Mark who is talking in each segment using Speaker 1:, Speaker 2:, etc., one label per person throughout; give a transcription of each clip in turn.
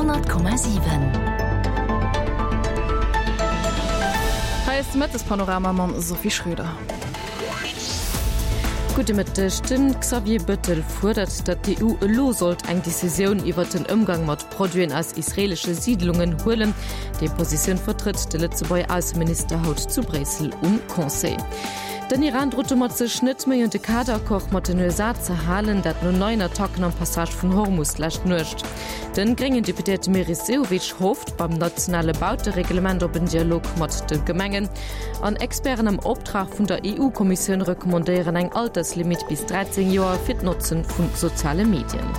Speaker 1: 100,7.
Speaker 2: Hei ass de Mëttespanorama mam Sophie Schröder.
Speaker 3: Gudde Mëtteg. De Xavier Bëttel fuerdert, datt d'EU elo sollt eng Decisioun iwwert den Ëmgang mat Produiten aus israeelesche Siidlungen huelen. Déi Positioun vertrëtt de Lëtzebuerger Ausseminister haut zu Bréissel um Conseil. Den Iran drot domat sech net méi un de Kaderaccord mat den USA ze halen, dat no neien Attacken am Passage vun Hormus d'lescht Nuecht. Den gréngen Deputéierte Meris Sehovic hofft beim nationale Bautereglement op en Dialog mat de Gemengen. An Experten am Optrag vun der EU-Kommissioun recommandéieren eng Alterslimit bis 13 Joer fir d'Notzen vu soziale Medien.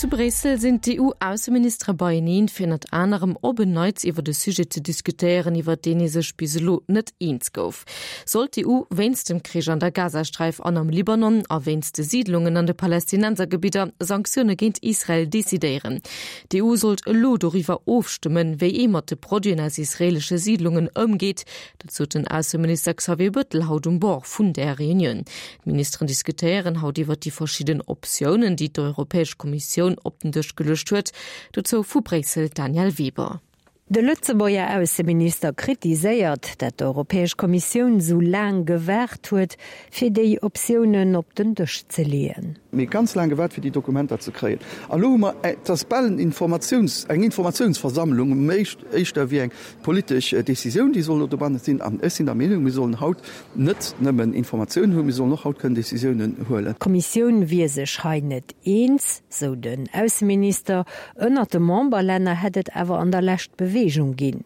Speaker 3: Zu Bréissel sinn d'EU-Ausseministere beieneen, fir ënnert anerem op en Neits iwwer e Sujet ze diskutéieren, iwwer deen ee sech bis elo net eens gouf. Sollt d'EU wéinst dem Krich an der Gazasträif an am Libanon a wéinst de Siidlungen an de Palästinensergebidder Sanktioune géint Israel decidéieren? D'EU sollt elo doriwwer ofstëmmen, wéi ee mat de Produiten aus israeelesche Siidlungen ëmgeet. Dat sot den Ausseminister Xavier Bëttel haut um Bord vun där Reunioun. D'Ministeren diskutéieren haut iwwer déi verschidden Optiounen, déi d'Europäesch Kommissioun op den Dësch geluecht huet. Dozou vu Bréissel d'Danièle Weber.
Speaker 4: De Lëtzebuerger Ausseminister kritiséiert, dat d'Europäesch Kommissioun sou laang gewaart huet, fir déi Optiounen op den Dësch ze leeën.
Speaker 5: Mir hu ganz laang gewaart, fir déi Dokumenter ze kréien. An elo hu mer, et ass bal en Informatiouns, eng Informatiounsversammlung, méi éischter wéi eng politesch Décisioun, déi soll elo dobanne sinn. An ech sinn der Meenung, mir sollen haut net nëmmen Informatiounen hunn, mir sollen och haut kënnen Décisiounen huelen.
Speaker 4: D'Kommissioun wier sech hei net eens, sou den Ausseminister. Ënnert de Memberlänner hätt et awer an der Lescht Beweegung ginn.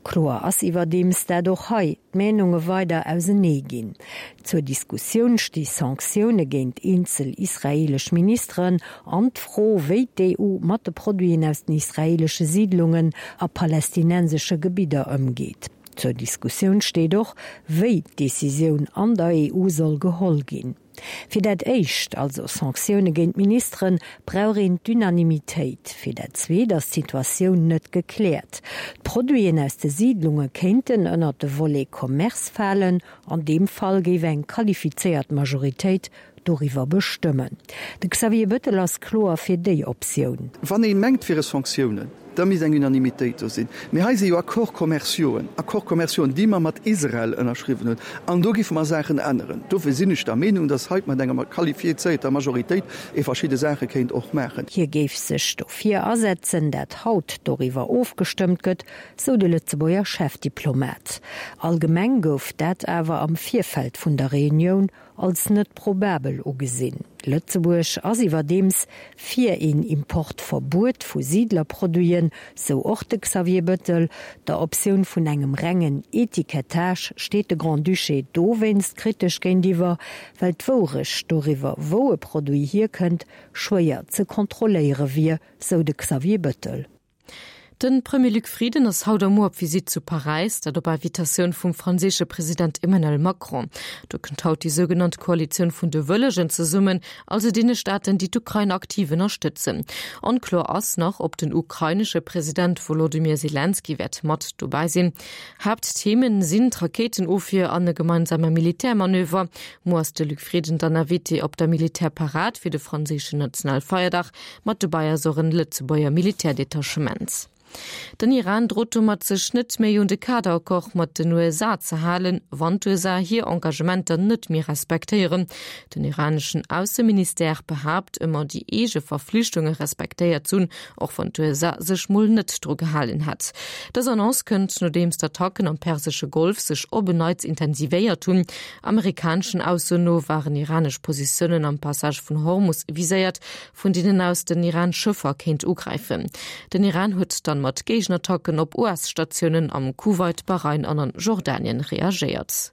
Speaker 4: Kloer ass iwwerdeems, dat och hei d'Meenunge weider ausenee ginn. Zur Diskussioun sti Sanktioune géint eenzel israeelesch Ministeren an d'Fro, wéi d'EU mat de Produiten aus den israeelesche Siidlungen a palästinensesche Gebidder ëmgeet. Zur Diskussioun steet och, wéi d'Decisioun an der EU soll geholl ginn. Fir dat éischt, also Sanktioune géint Ministeren, brauch een d'Unanimitéit. Fir dat zweet ass d'Situatioun net gekläert. D'Produiten aus de Siidlunge kéinten ënnert de Volet Commerce falen. An deem Fall géif eng qualifizéiert Majoritéit doriwwer bestëmmen. De Xavier Bettel ass kloer fir déi Optioun.
Speaker 5: Wann ee mengt, et wiere Sanktiounen, Da misst eng Unanimitéit do sinn. Mee hei si jo Accords commerciauxen, Accords commerciauxen, déi mer mat Israel ënnerschriwwen hunn, an do giffe mer Saachen änneren. Dofir sinn ech der Meenung, dass hei mat enger qualifizierter Majoritéit ee verschidde Saache kéint och maachen.
Speaker 4: Hie géif sech dofir asetzen, dat haut doriwwer ofgestëmmt gëtt, sou de Lëtzebuerger Chefdiplomat. Allgemeng gouf dat awer am Virfeld vun der Reunioun als net probabel ugesinn. Lëtzebuerg ass iwwerdeems fir een Importverbuet vu Siidlerproduiten, sou och de Xavier Bëttel. Der Optioun vun engem rengen Etikettage steet de Grand-Duché dowéinst kritesch géintiwwer, well d'Wourecht doriwwer, wou e Produit hierkënnt, schwéier ze kontrolléiere wier, sou de Xavier Bëttel.
Speaker 3: De Premier Luc Frieden ass haut a muer op Visitt zu Paräis, dat op Invitatioun vum franséische President Emmanuel Macron. Do kënnt haut déi sougenannt Koalitioun vun de Wëllegen zesummen, also deene Staaten, déi d'Ukrain aktiv ënnerstëtzen. Onkloer ass nach, ob den ukrainesche President Wolodymyr Selenskyj wäert mat dobäi sinn. Haaptthemen sinn d'Rakéitenofwier an e gemeinsame Militärmanöver. Muer ass de Luc Frieden dann Invité op der Militärparad fir de franséischen Nationalfeierdag. Mat dobäi ass och en Lëtzebuerger Militärdetachement. Den Iran drot domat sech net méi un de Kaderaccord mat den USA ze halen, wann d'USA hir Engagementer net méi respektéieren. Den iraneschen Ausseministère behaapt ëmmer déi eege Verflichtunge respektéiert z'hunn, och wann d'USA sech mol net dru gehalen hätt. Dës Annonce kënnt nodeems d'Attacken am persesche Golf sech op en Neits intensivéiert hunn. Amerikaneschen Aussoen no waren iranesch Positiounen am Passage vun Hormus viséiert, vun deenen aus den Iran Schëffer kéint ugräifen. Den Iran huet dann mat Géigenattacken op US-Statiounen am Kuwait, Bahrain an an Jordanien reagéiert.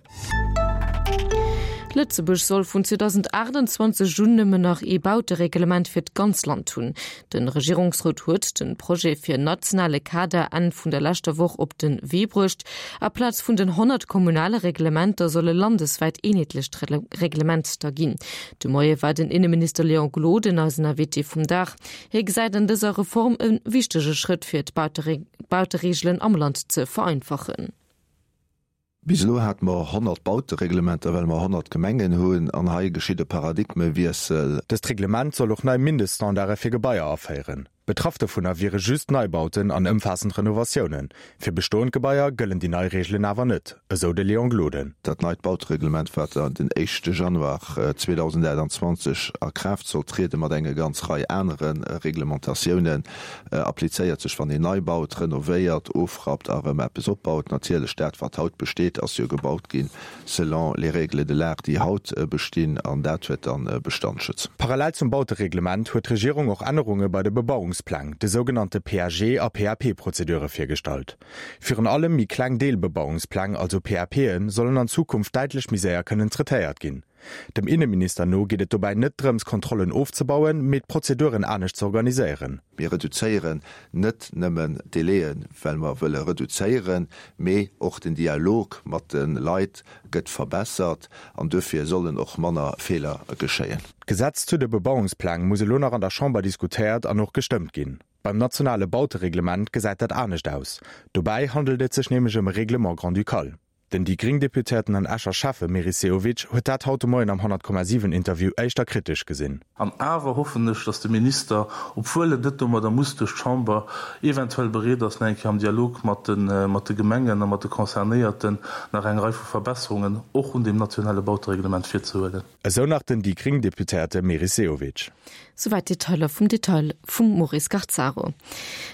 Speaker 3: Lëtzebuerg soll vun 2028 un nëmmen nach ee Bautereglement fir d'ganz Land hunn. De Regierungsrot huet de Projet fir en nationale Kader Enn vun der leschter Woch op de Wee bruecht. Aplaz vun den 100 kommunale Reglementer soll e landeswäit eenheetlecht Reglement da ginn. De Moie war den Inneminister Léon Gloden eisen Invité vum Dag. Hie gesäit an dëser Reform e wichtege Schrëtt fir d'Bautereegelen am Land ze vereinfachen.
Speaker 1: Bis elo hate mer 100 Bautereglementer, well mer 100 Gemengen hunn, an hei geschitt e Paradigmewiessel.
Speaker 6: Dëst Reglement soll och nei Mindeststandarde fir Gebaier aféieren. Betraff dovunner wiere just Neibauten an ëmfaassend Renovatiounen. Fir bestoend Gebaier gëllen déi nei Reegelen awer net, esou de Léon Gloden.
Speaker 1: Dat neit Bautereglement, wat den éischte Januar 2028 a Kraaft soll trieden, mat enger ganz Rei anere Reglementatiounen, applizéiert sech, wann een nei baut, renovéiert, ofrappt a erëm eppes opbaut. Natierlech, dat wat haut besteet, ass jo gebaut ginn selon les règles de l'art, déi haut bestinn, an dat huet dann Bestandsschutz.
Speaker 6: Parallel zum Bautereglement huet d'Regierung och Ännerunge bei de Bebauungspläng, de sougenannte PAG a PAP-Prozedure virgestallt. Virun allem méi kleng Deelbebauungspläng, also PAPen, sollen an Zukunft däitlech méi séier kënnen traitéiert ginn. Dem Inneminister no geet et dobäi net drëms, Kontrollen ofzebauen, mee d'Prozeduren anescht ze organiséieren.
Speaker 1: Mir reduzéieren net nëmmen d'Délaië well mer wëlle reduzéieren, mee och den Dialog mat de Leit gëtt verbessert an duerfir sollen och manner Feeler geschéien.
Speaker 6: D'Gesetz zu de Bebauungspläng muss elo nach an der Chamber diskutéiert an och gestëmmt ginn. Beim nationale Bautereglement gesäit dat anescht aus. Dobäi handelt et sech nämlech ëm e Règlement grand-ducal. Den déi gréng Deputéierten an Escher Schäffe Meris Sehovic huet dat haut de Moien am 100,7 Interview éischter kritesch gesinn.
Speaker 7: An awer hoffen ech, dass de Minister, obwuel en net domadder muss duerch d'Chamber, eventuell bereet ass, nach eng Kéier am Dialog mat de Gemengen a mat de Concernéierten nach eng Rei vu Verbesserungen och un deem nationale Bautereglement virzehuelen.
Speaker 6: Esou nach den déi gréng Deputéierte Meris Sehovic.
Speaker 3: Souwäit d'Detailer vum Detail vum Maurice Garzaro.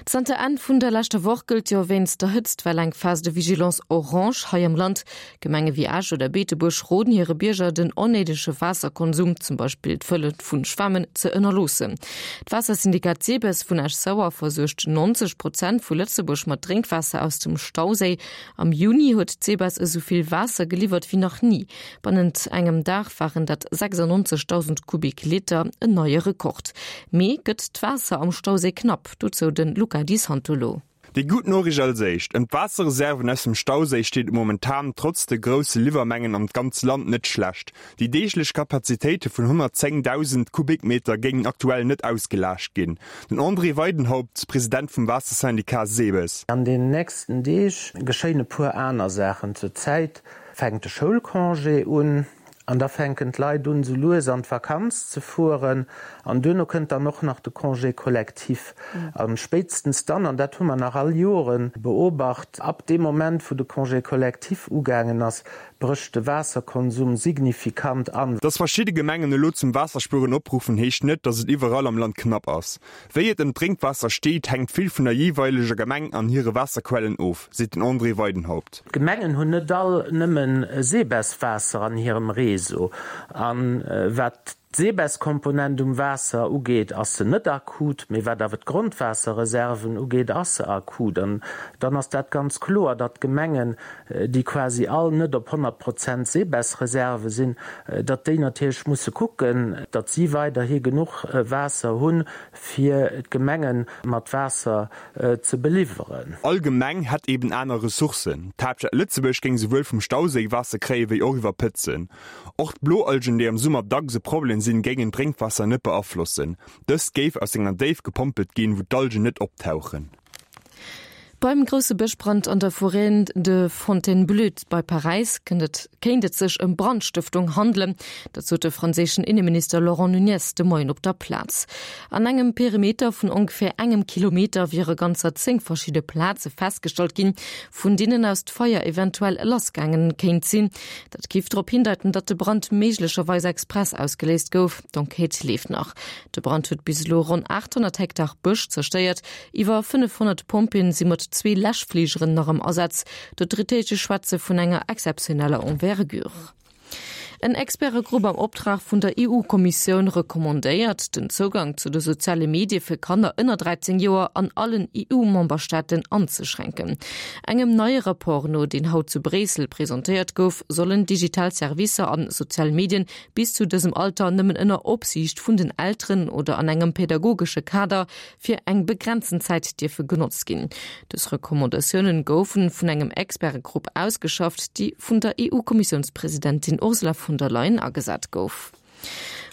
Speaker 3: Zanter Enn vun der leschter Woch gëllt jo wéinst der Hëtztwell eng Phase de vigilance orange hei am Land. Gemenge wéi Esch oder Beetebuerg roden hire Bierger, den onnéidege Waasserkonsum, zum Beispill d'Fëlle vu Schwämmen, ze ënnerloossen. D'Waassersyndikat SEBES vun Esch-Sauer versuergt 90 Prozent vu Lëtzebuerg mat Drénkwaasser aus dem Stauséi. Am Juni huet d'SEBES esou vill Waasser geliwwert wéi nach ni. Bannent engem Dag waren dat 96.000 Kubik-Liter, en neie Rekord. Mee gëtt d'Waasser am Stauséi knapp? Dozou de Luca Di Santolo.
Speaker 8: Déi gutt Noriicht als éischt, Ëm d'Waasserreserven aus dem Stauséi steet et momentan, trotz de grousse Liwwermengen an d'ganz Land, net schlecht. Déi deeglech Kapazitéite vun 110.000 Kubikmeter géingen aktuell net ausgelaascht ginn. Den André Weidenhaupt, President vum Waassersyndicat SEBES.
Speaker 9: An den nächsten Deeg geschéien e puer aner Saachen. Zur Zäit fänkt de Schoulcongé un an da fänken d'Leit un, sou lues an d'Vakanz ze fueren an duerno kënnt dann och nach de Congé collectif. A spéitstens dann, an dat hu mer nach all Jore beobacht, ab deem Moment, wou de Congé collectif ugaangen ass, brécht de Waasserkonsum signifikant an.
Speaker 8: Dass verschidde Gemengen elo zum Waasserspueren opruffen, heescht net, dass et iwwerall am Land knapp ass. Wéi et ëm d'Drénkwaasser steet, hänkt vill vun der jeeweileger Gemeng an hire Waasserquellen of, seet den André Weidenhaupt.
Speaker 9: D'Gemengen hunn net all nëmme Sebes-Waasser an hirem Réseau. A wat d'Sebes-Komponent um Waasser ugeet, ass se net akut, mee wat awer d'Grondwaasserreserven ugeet, ass se akut. An dann ass dat ganz kloer, datt d'Gemengen, déi quasi all net op 100 Prozent Sebes-Reserve sinn, datt déi natierlech musse kucken, datt si weiderhi genuch Waasser hunn, fir d'Gemenge mat Waasser ze beliwweren.
Speaker 8: All Gemeng hätt eben aner Ressourcen. D'Haaptstad Lëtzebuerg géing souwuel vum Stauséi Waasser kréie wéi och iwwer Pëtzen. Och d'Bloalgen, déi am Summer dacks e Problem sinn, géingen d'Drénkwaasser net beaflossen. Dëst géif aus enger Déift gepompelt ginn, wou d'Algen net optauchen.
Speaker 3: Beim grousse Bëschbrand an der Forêt de Fontainebleau bei Paräis kéint et sech ëm Brandstëftung handelen. Dat sot de franséischen Inneminister Laurent Nunez de Moien op der Plaz. An engem Perimeter vun ongeféier engem Kilometer wiere ganzer 10 verschidde Plaze festgestallt ginn, vun deenen aus d'Feier eventuell lassgaangen kéint sinn. Dat géif drop hindeiten, datt de Brand méiglecherweis express ausgeléist gouf. D'Enquête leeft nach. De Brand huet bis elo ronn 800 Hektar Bësch zerstéiert. Iwwer 500 Pompjeeën si mat zwee Läschfligeren nach am Asaz. D'Autoritéite schwätze vun enger exzeptioneller Envergure. En Expertegrupp am Optrag vun der EU-Kommissioun recommandéiert, den Zougang zu de soziale Medie fir Kanner ënner 13 Joer an allen EU-Memberstaaten anzeschränken. Engem neie Rapport no, deen haut zu Bréissel presentéiert gouf, sollen digital Servicer an sozial Medien bis zu dësem Alter nëmmen ënner Opsiicht vun den Elteren oder an engem pädagogesche Kader fir eng begrenzen Zäit dierfe genotzt ginn. Dës Recommandatiounen goufen vun engem Expertegrupp ausgeschafft, déi vun der EU-Kommissiounspresidentin Ursula von der Leyen agesat gouf.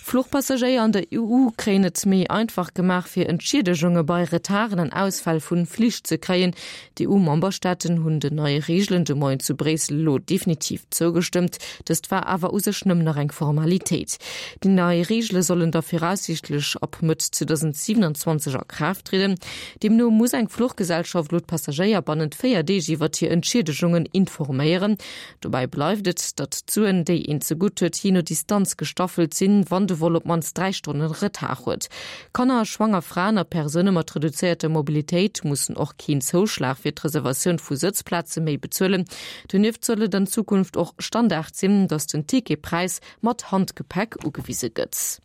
Speaker 3: Fluchpassagéier an der EU kréien et méi einfach gemaach, fir Entschiedegunge bei Retarden an Ausfäll vu Flich ze kréien. D'EU-Memberstaaten hunn den neie Reegelen de Moien zu Bréissel elo definitiv zougestëmmt. Dëst war awer u sech nëmmen nach eng Formalitéit. Déi nei Reegele sollen da viraussiichtlech ab Mëtt 2027 a Kraaft trieden. Deemno muss eng Fluchgesellschaft elo d'Passagéier bannent 4 Deeg iwwert hir Entschiedegunge informéieren. Dobäi bleift et, datt d'Suen, déi een zegutt huet, jee no Distanz gestaffelt sinn, wann de Vol op d'mannst 3 Stonne Retard huet. Kanner, schwanger Fraen a Persoune mat reduzéierter Mobilitéit mussen och keen Zouschlag fir d'Reservatioun vu Sëtzplaze méi bezuelen. Donieft soll et an Zukunft och Standard sinn, datt den Ticketpräis mat Handgepäck ugewise gëtt.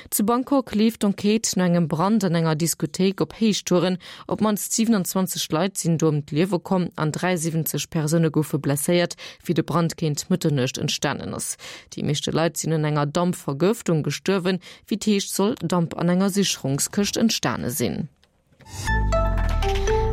Speaker 3: Zu Bangkok leeft d'Enquête no engem Brand an enger Diskothéik op Héichtouren. Op d'mannst 27 Leit sinn do ëm d'Liewe komm an 73 Persoune goufe blesséiert, wéi de Brand géint Mëtternuecht entstanen ass. Déi meeschte Leit sinn un enger Dampvergëftung gestuerwen. Wéi et heescht, soll Damp an enger Sicherungskëscht entstane sinn.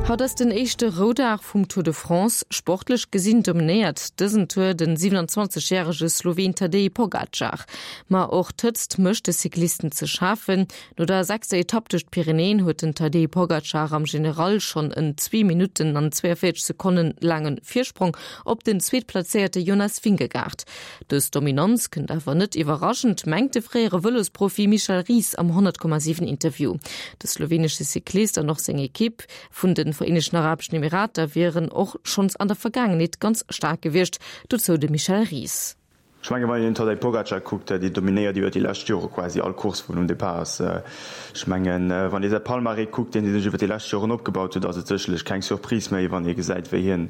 Speaker 3: Haut ass den éischte Roudag vum Tour de France. Sportlech gesinn dominéiert dësen Tour den 27 järege Sloween Tadej Pogacar. Ma och d'Hëtzt mécht de Cyclisten ze schafen. No der sechster Etapp duerch d'Pyrenäen huet den Tadej Pogacar am General schonn en zwee Minutten an 42 Sekonnen laange Virsprong op den zweetplazéierte Jonas Vingegaard. Dës Dominanz kënnt awer net iwwerraschend, mengt de fréiere Vëlosprofi Michel Ries am 100,7 Interview. De slowenesche Cyclist an och seng Ekipp vun de Vereenegten Arabeschen Emirater wieren och schonns an der Vergaangenheet ganz staark gewiescht, dozou de Michel Ries.
Speaker 10: Ech menge wann een den Tadej Pogacar kuckt, dee dominéiert iwwer déi lescht Jore quasi all Course wou en um Depart ass. Ech mengen wann ee säi Palmarès kuckt, deen hie sech iwwer déi lescht Joren opgebaut huet, ass et sécherlech keng Surprise méi, wann ee gesäit wéi hien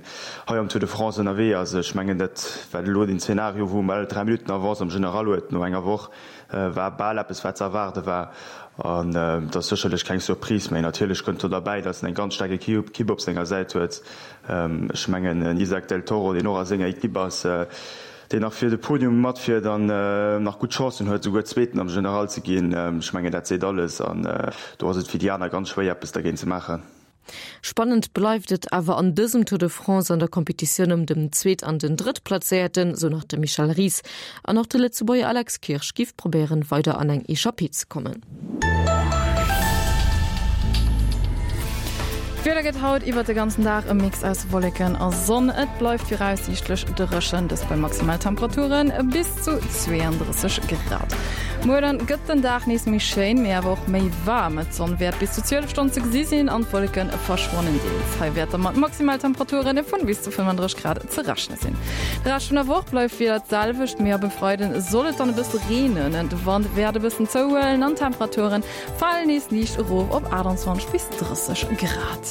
Speaker 10: hei am Tour de France ënnerwee ass. Ech mengen, dat wat elo den Zeenario, wou en bal 3 Minutten Avance am General huet no enger Woch, war bal eppes, wat ze erwaarde war. An et ass sécherlech keng Surprise méi. Natierlech kënnt do derbäi, datt en eng ganz staark Equipe op senger Säit huet. Ech mengen, en Isaac del Toro, deen och a senger Equipe ass, deen nach fir de Podium matfiert an nach gutt Chancen huet, souguer Zweeten am General ze ginn. Ech mengen, dat seet alles. An do ass et fir déi aner ganz schwéier, eppes dergéint ze maachen.
Speaker 3: Spannend bleift et awer an dësem Tour de France an der Kompetitioun ëm dem Zweet an den Drëttplazéierten, sou nach de Michel Ries. An och de Lëtzebuerger Alex Kirsch giff probéieren, weider an eng Echappée ze kommen.
Speaker 2: D'Wieder gëtt haut iwwert de ganzen Dag e Mix aus Wolleken a Sonn. Et bleift viraussiichtlech dréchen, dëst bei Maximaltemperature bis zu 32 Grad. Muer dann gëtt den Dag nees méi schéin, mee awer och méi waarm. D'Sonn wäert bis zu 12 Stonn ze gesi sinn an d'Wolleke verschwannen deels. Hei wäert da mat Maximaltemperature vun bis zu 35 Grad ze rechne sinn. De Rescht vun der Woch bleift d'Wieder d'selwecht, mee ab e Freiden soll et dann e bësse reenen. De Wand wäert e bëssen zouhuelen an d'Temperature falen nees liicht erof op 28 bis 30 Grad.